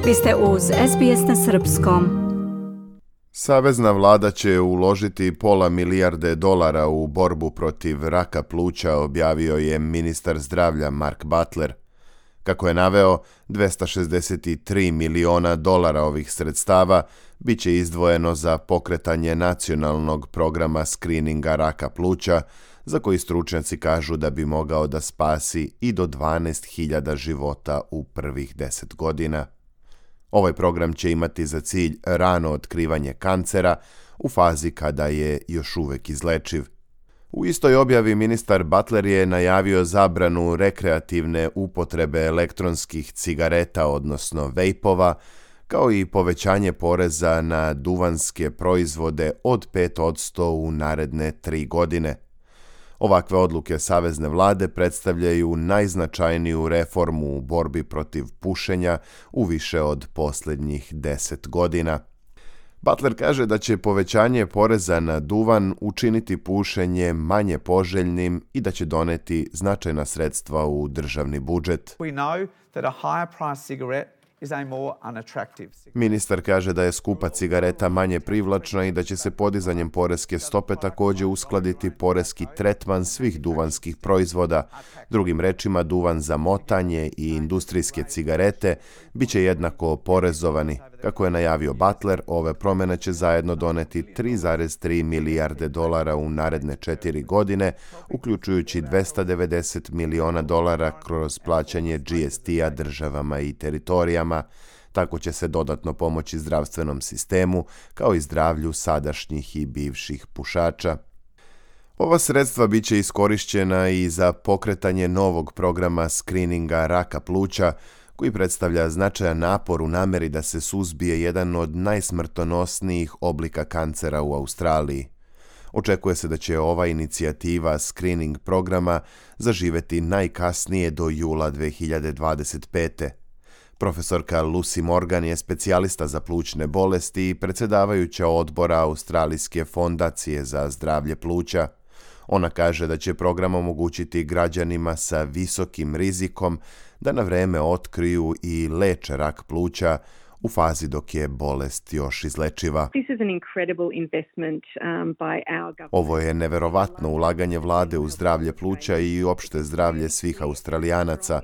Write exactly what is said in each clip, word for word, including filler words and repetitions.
Vi ste uz S B S na srpskom. Savezna vlada će uložiti pola milijarde dolara u borbu protiv raka pluća, objavio je ministar zdravlja Mark Butler. Kako je naveo, dvesta šezdeset tri miliona dolara ovih sredstava bit će izdvojeno za pokretanje nacionalnog programa skrininga raka pluća, za koji stručnjaci kažu da bi mogao da spasi i do dvanaest hiljada života u prvih deset godina. Ovaj program će imati za cilj rano otkrivanje kancera u fazi kada je još uvek izlečiv. U istoj objavi ministar Butler je najavio zabranu rekreativne upotrebe elektronskih cigareta, odnosno vejpova, kao i povećanje poreza na duvanske proizvode od pet posto u naredne tri godine. Ovakve odluke savezne vlade predstavljaju najznačajniju reformu u borbi protiv pušenja u više od posljednjih deset godina. Butler kaže da će povećanje poreza na duvan učiniti pušenje manje poželjnim i da će doneti značajna sredstva u državni budžet. We know that a higher price cigarette is a more unattractive cigarette. Ministar kaže da je skupa cigareta manje privlačna i da će se podizanjem poreske stope također uskladiti poreski tretman svih duvanskih proizvoda. Drugim rečima, duvan za motanje i industrijske cigarete bit će jednako oporezovani. Kako je najavio Butler, ove promjene će zajedno doneti tri zarez tri milijarde dolara u naredne četiri godine, uključujući dvesta devedeset miliona dolara kroz plaćanje G S T-a državama i teritorijama. Tako će se dodatno pomoći zdravstvenom sistemu, kao i zdravlju sadašnjih i bivših pušača. Ova sredstva bit će iskorišćena i za pokretanje novog programa skrininga raka pluća, koji predstavlja značajan napor u nameri da se suzbije jedan od najsmrtonosnijih oblika kancera u Australiji. Očekuje se da će ova inicijativa skrining programa zaživeti najkasnije do jula dve hiljade dvadeset pete. Profesorka Lucy Morgan je specijalista za plućne bolesti i predsjedavajuća odbora Australijske fondacije za zdravlje pluća. Ona kaže da će program omogućiti građanima sa visokim rizikom da na vreme otkriju i leče rak pluća u fazi dok je bolest još izlečiva. Ovo je neverovatno ulaganje vlade u zdravlje pluća i opšte zdravlje svih Australijanaca.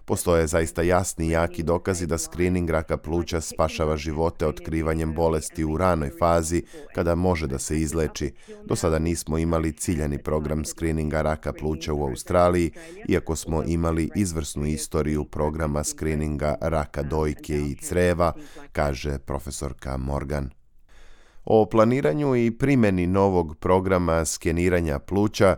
Postoje zaista jasni i jaki dokazi da skrining raka pluća spašava živote otkrivanjem bolesti u ranoj fazi kada može da se izleči. Do sada nismo imali ciljani program skrininga raka pluća u Australiji, iako smo imali izvrsnu istoriju programa skrininga raka dojke i creva, kaže profesorka Morgan. O planiranju i primjeni novog programa skeniranja pluća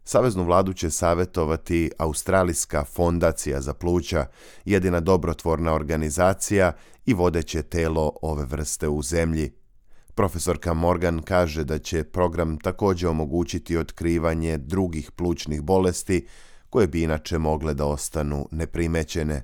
Saveznu vladu će savjetovati Australijska fondacija za pluća, jedina dobrotvorna organizacija i vodeće telo ove vrste u zemlji. Profesorka Morgan kaže da će program također omogućiti otkrivanje drugih plućnih bolesti koje bi inače mogle da ostanu neprimećene.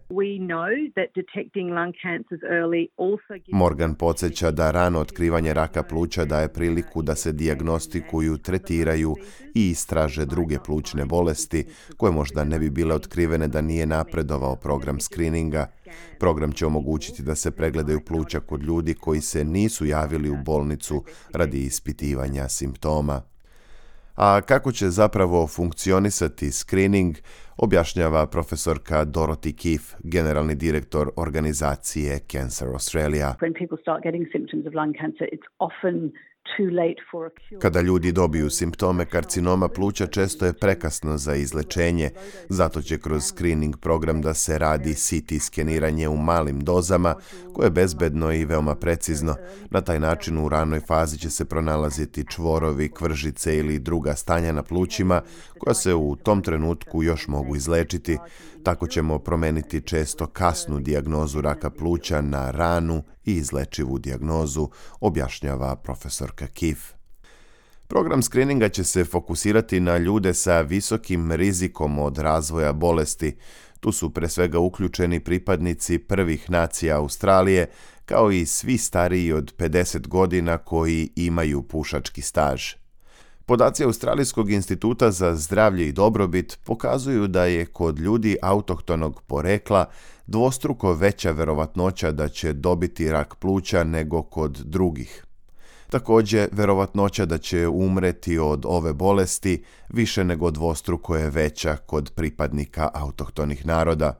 Morgan podsjeća da rano otkrivanje raka pluća daje priliku da se dijagnostikuju, tretiraju i istraže druge plućne bolesti koje možda ne bi bile otkrivene da nije napredovao program skrininga. Program će omogućiti da se pregledaju pluća kod ljudi koji se nisu javili u bolnicu radi ispitivanja simptoma. A kako će zapravo funkcionisati screening, objašnjava profesorka Dorothy Keefe, generalni direktor organizacije Cancer Australia. Kada ljudi dobiju simptome karcinoma pluća, često je prekasno za izlečenje, zato će kroz screening program da se radi C T skeniranje u malim dozama, koje je bezbedno i veoma precizno. Na taj način u ranoj fazi će se pronalaziti čvorovi, kvržice ili druga stanja na plućima, koja se u tom trenutku još mogu izlečiti. Tako ćemo promeniti često kasnu dijagnozu raka pluća na ranu i izlečivu dijagnozu, objašnjava profesorka Keefe. Program skrininga će se fokusirati na ljude sa visokim rizikom od razvoja bolesti. Tu su pre svega uključeni pripadnici prvih nacija Australije, kao i svi stariji od pedeset godina koji imaju pušački staž. Podaci Australijskog instituta za zdravlje i dobrobit pokazuju da je kod ljudi autohtonog porekla dvostruko veća verovatnoća da će dobiti rak pluća nego kod drugih. Također, verovatnoća da će umreti od ove bolesti više nego dvostruko je veća kod pripadnika autohtonih naroda.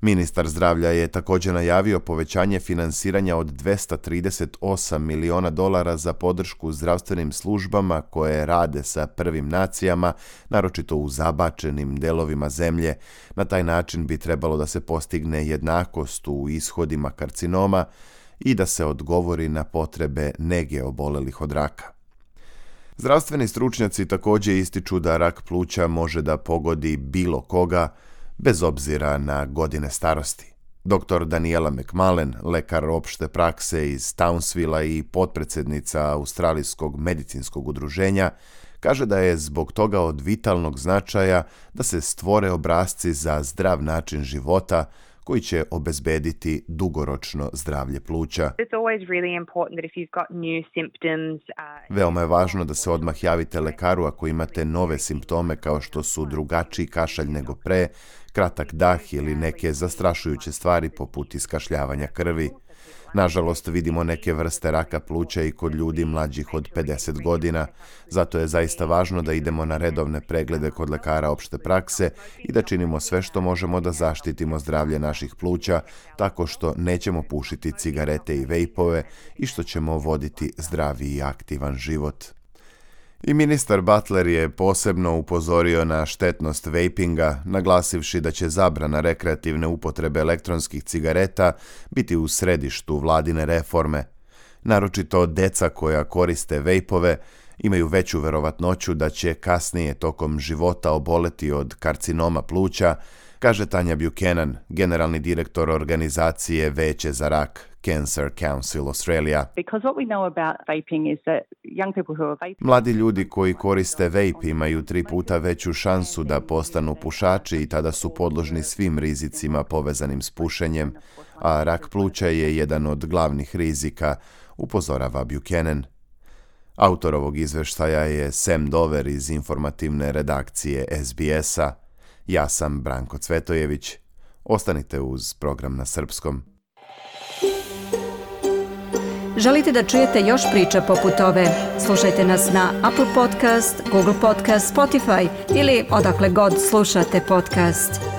Ministar zdravlja je također najavio povećanje finansiranja od dvesta trideset osam miliona dolara za podršku zdravstvenim službama koje rade sa prvim nacijama, naročito u zabačenim delovima zemlje. Na taj način bi trebalo da se postigne jednakost u ishodima karcinoma i da se odgovori na potrebe nege obolelih od raka. Zdravstveni stručnjaci također ističu da rak pluća može da pogodi bilo koga, bez obzira na godine starosti. doktor Daniela McMullen, lekar opšte prakse iz Townsvilla i potpredsjednica Australijskog medicinskog udruženja, kaže da je zbog toga od vitalnog značaja da se stvore obrasci za zdrav način života koji će obezbediti dugoročno zdravlje pluća. Veoma je važno da se odmah javite lekaru ako imate nove simptome kao što su drugačiji kašalj nego pre, kratak dah ili neke zastrašujuće stvari poput iskašljavanja krvi. Nažalost, vidimo neke vrste raka pluća i kod ljudi mlađih od pedeset godina, zato je zaista važno da idemo na redovne preglede kod lekara opšte prakse i da činimo sve što možemo da zaštitimo zdravlje naših pluća, tako što nećemo pušiti cigarete i vejpove i što ćemo voditi zdravi i aktivan život. I ministar Butler je posebno upozorio na štetnost vejpinga, naglasivši da će zabrana rekreativne upotrebe elektronskih cigareta biti u središtu vladine reforme. Naročito deca koja koriste vejpove imaju veću verovatnoću da će kasnije tokom života oboleti od karcinoma pluća, kaže Tanja Buchanan, generalni direktor organizacije Veće za rak, Cancer Council Australia. Mladi ljudi koji koriste vape imaju tri puta veću šansu da postanu pušači i tada su podložni svim rizicima povezanim s pušenjem, a rak pluća je jedan od glavnih rizika, upozorava Buchanan. Autor ovog izveštaja je Sam Dover iz informativne redakcije S B S-a. Ja sam Branko Cvetojević. Ostanite uz program na srpskom. Želite da čujete još priča poput ove? Slušajte nas na Apple Podcast, Google Podcast, Spotify ili odakle god slušate podcast.